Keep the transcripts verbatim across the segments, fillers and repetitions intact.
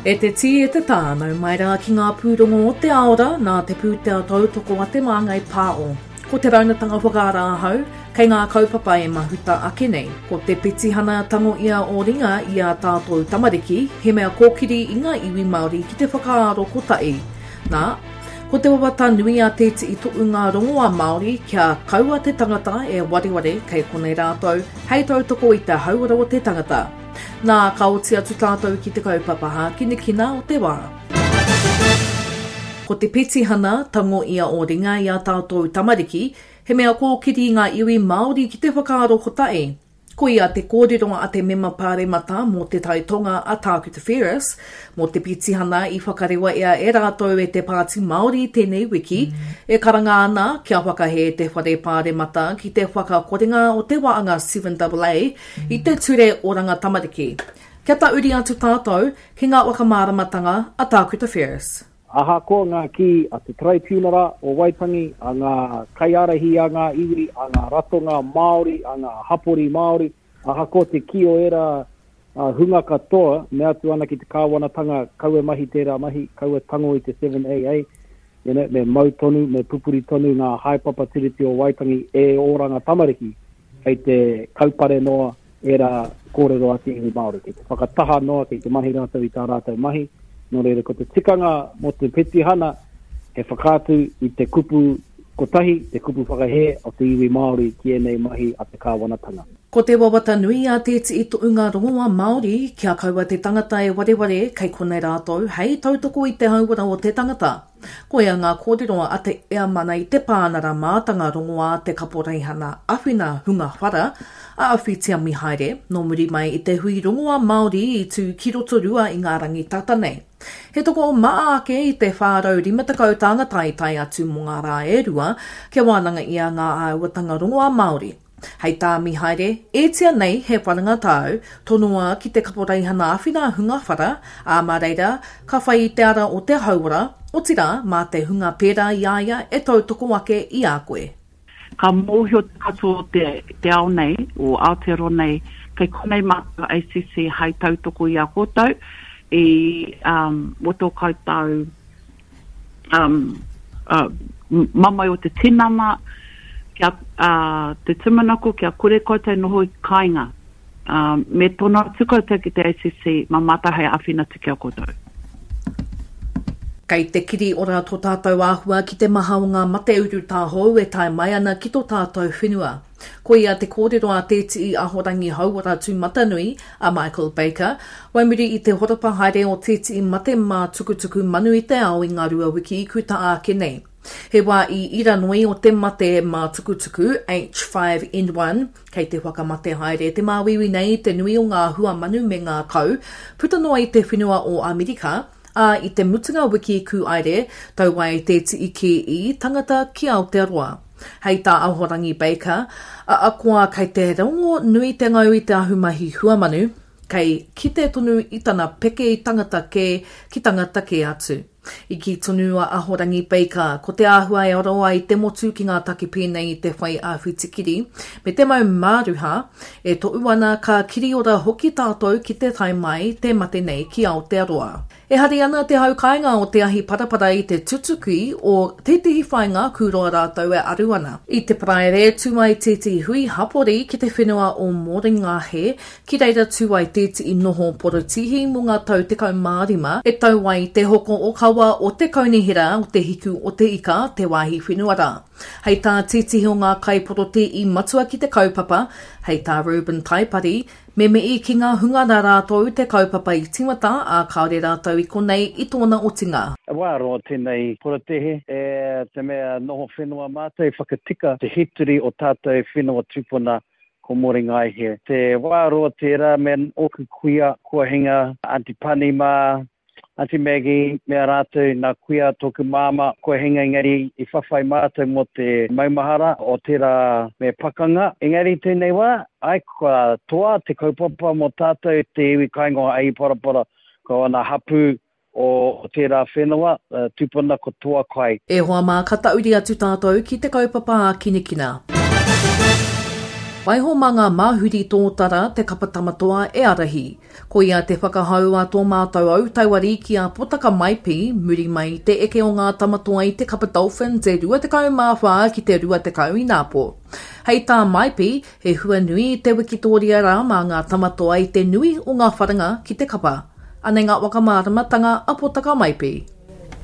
E te tī e te tā, nau mai rā ki ngā pūrongo o te aora nā te pūtea tautoko a Te Māngai Pāo. Ko te raunatanga whakaara ahau, kei ngā kaupapa e mahuta ake nei. Ko te petihana tango ia o ringa i a tātou tamariki, he mea kōkiri i ngā iwi Māori ki te whakaaro kotahi. Nā, ko te wawata nui a Te Tii Toʻunga Rongoā Māori kia kaua te tangata e wareware kei konei rātou hei tautoko i te hauora o te tangata. Nā, ka oti atu tātou ki te kaupapa hākinakina o te wā. Ko te petihana tango ia o ringa i a tātou tamariki, he mea kōkiri i ngā iwi Māori ki te whakaaro kotahi. Koia te kōrero a te mema pāremata mō Te Tai Tonga a Tākuta Ferris, mō te petihana i whakarewaia e rātou e te Pāti Māori tēnei wiki, e karanga ana kia whakahē te Whare Pāremata ki te whakakorenga o te waanga seven A i te Ture Oranga Tamariki. Kia tauri atu tātou ki ngā whakamāramatanga a Tākuta Ferris. Ahakoa ngā kī a te Taraipiunara o Waitangi, a ngā kaiārahi a ngā iwi, a ngā ratonga Māori, a ngā hapori Māori, ahakoa te kī o ērā hunga katoa, mea atu ana ki te kāwanatanga kaua mahi tērā mahi, kaua tango i te seven A A, you know, me mau tonu, me pupuri tonu ngā haepapa Tiriti o Waitangi e oranga tamariki, kei te kaupare noa ērā kōrero a te iwi Māori, kei te whakataha noa, kei te mahi rātou i tā rātou mahi. Nō reira, ko te tikanga mō te petihana, he whakaatu i te kupu kotahi, te kupu whakahē o te iwi Māori ki ēnei mahi a te kāwanatanga. Ko te wawata nui a Te Tii Toʻunga Rongoā Māori, kia kaua te tangata e wareware kei konei rātou hei tautoko i te hauora o te tangata. Koia ngā kōrero a te Eamana i te pānara mātanga rongoā te kaporeihana awhina hunga whara, a Awhitia Mihaere, nō muri mai i te hui rongoā Māori i tū ki Rotorua i ngā rangi tata nei. He toko o maa ake i te whārau rima tekau tāngata i tae atu mō ngā rā e rua, kia wānanga ia ngā āhuatanga rongoā Māori. Hei tā Mihaere, ētia nei he wharanga tāu, tonoa ki te kaporeihana awhina hunga whara, ā mā reira, ka whai i te ara o te hauora, otirā mā te hunga pērā i a ia e tautoko ake i a koe. Ka mōhio te katoa o te, te ao nei, o Aotearoa nei, kei konei mātou A C C hai tautoko i a koutou, i, um, o tō koutou, um, uh, mamae o te tinana, kia, uh, te tūmanako kia kore koutou noho i kāinga. Um, me tono atu koutou ki te A C C, mā mātou hei āwhina atu ki a koutou. Kei te kiri ora tō tātou āhua ki te maha o ngā mate urutā hou e tae mai ana ki tō tātou whenua. Koia te kōrero a Te Tii Ahorangi Hauora Tūmatanui, a Michael Baker, waimuri i te horapa haere o Te Tii Mate Mā Tukutuku Manu i te ao i ngā rua wiki i kuta ake nei. He wā i iranoi o te mate mā tukutuku H five N one, kei te whakamate haere te māuiui nei i te nui o ngā hua manu me ngā kau, puta noa i te whenua o Amerika, ā i te mutunga wiki kūaere, tau ai te tii ki i tangata ki Aotearoa. Hei tā Ahorangi Baker, a akoa kei te rongo nui te ngau i te ahumahi huamanu, kei kite tonu i tana peke i tangata kē ki tangata kē atu. I kī tonu a Ahorangi Baker, ko te āhua e aro ai te motu ki ngā take pēnei i te whai āwhitikiri, me te mau māruha, e toʻu ana ka kiriora hoki tātou ki te tae mai te mate nei ki Aotearoa. E hari ana te hau kāinga o te ahi parapara i te tutuki o tētehi whāinga kūroa rātou e aru ana. I te paraere tū ai tētehi hui hapori ki te whenua o Moringahe, ki reira tū ai tētehi noho porotihi mō ngā tau tekau mā rima, e tau ai te hoko o kawa o te kaunihera o te hiku o te ika, te wāhi whenua rā. Hei tā tētehi o ngā kaiporotē i matua ki te kaupapa, hei tā Reuben Taipari, me mei ki ngā hunga rā rātou te kaupapa i tīmata, ā kāore rātou i konei i tōna otinga. E wā roa tēnei porotehe, e te mea noho whenua mātou i whakatika te hituri o tātou whenua tūpuna ko Moringaihe. Te wā roa tērā me ōku kuia, kua hinga, Aunty Pani mā, Aunty Maggie, mea rātou, nā kuia tōku māma, kua hinga engari i whawhai mātou mō te maumahara o tērā me pakanga. Engari tēnei wā, ai, kua toa te kaupapa mō tātou te iwi kāinga o Ahiparapara, ko ana hapū o tērā whenua, uh, tūpuna ko toa kai. E hoa mā, ka tauri atu tātou ki te kaupapa ākinakina. Waiho mā ngā māhuri tōtara te kapa tamatoa e arahi. Koia te whakahau a tō mātou autauari ki a Potaka Maipi, muri mai i te eke o ngā tamatoa i te kapa Dolphins e rua tekau mā whā ki te rua tekau ināpō. Hei tā Maipi, he hua nui te wikitōria rā mā ngā tamatoa i te nui o ngā wharanga ki te kapa. Anei ngā whakamāramatanga a Potaka Maipi.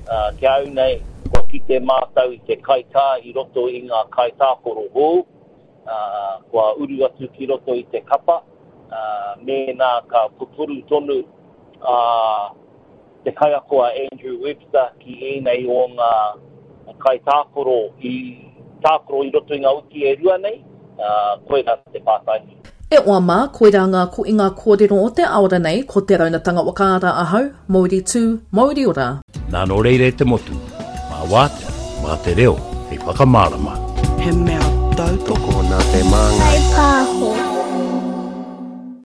Uh, ki au nei, kua kite mātou i te kaitā i roto i ngā kaitākoro hou, uh, kua uru atu ki roto i te kapa, uh, mēnā ka pupuru tonu uh, te kaiako a Andrew Webster ki ēnei o ngā kaitākoro i tākoro i roto i ngā uki e rua nei, uh, koirā te pātai. E oa mā, koirā ngā ko i ngā kōrero o te aora nei, ko te raunatanga wakaara ahau, Mauri tū, Mauri ora. Nā nō reira e te motu, mā wātea, mā te reo, hei whakamārama. He mea tautoko Tokona te māngai. Pāho.